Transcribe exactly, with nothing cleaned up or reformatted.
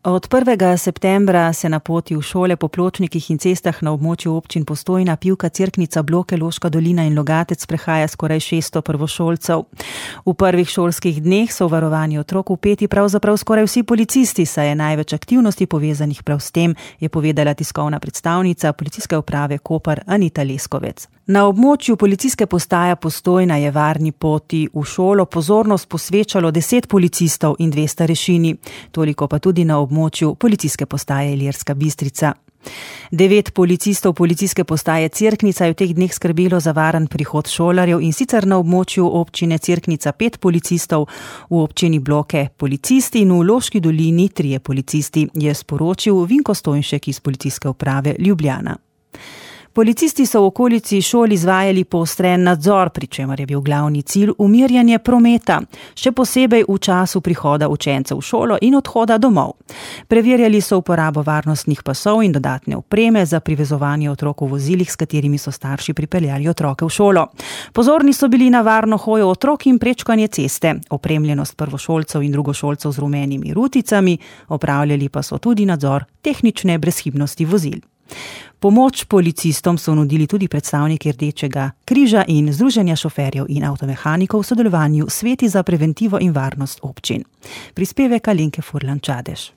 Od prvega septembra se na poti v šole po pločnikih in cestah na območju občin Postojna, Pivka, Cerknica, Bloke, Loška dolina in Logatec prehaja skoraj šeststo prvošolcev. V prvih šolskih dneh so v varovani otrok vpeti pravzaprav skoraj vsi policisti, saj je največ aktivnosti povezanih prav s tem, je povedala tiskovna predstavnica Policijske uprave Koper Anita Leskovec. Na območju policijske postaje Postojna je varni poti v šolo pozornost posvečalo deset policistov in dve starešini, toliko pa tudi na območju policijske postaje Ilirska Bistrica. Devet policistov policijske postaje Cerknica je v teh dneh skrbelo za varen prihod šolarjev, in sicer na območju občine Cerknica pet policistov, v občini Bloke policisti in v Loški dolini trije policisti, je sporočil Vinko Stojnšek iz Policijske uprave Ljubljana. Policisti so v okolici šol izvajali poostren nadzor, pri čemer je bil glavni cilj umirjanje prometa, še posebej v času prihoda učencev v šolo in odhoda domov. Preverjali so uporabo varnostnih pasov in dodatne opreme za privezovanje otrok v vozilih, s katerimi so starši pripeljali otroke v šolo. Pozorni so bili na varno hojo otrok in prečkanje ceste, opremljenost prvošolcev in drugošolcev z rumenimi ruticami, opravljali pa so tudi nadzor tehnične brezhibnosti vozil. Pomoč policistom so nudili tudi predstavniki Rdečega križa in Združenja šoferjev in avtomehanikov v sodelovanju s Sveti za preventivo in varnost občin. Prispevek Alenke Furlan Čadež.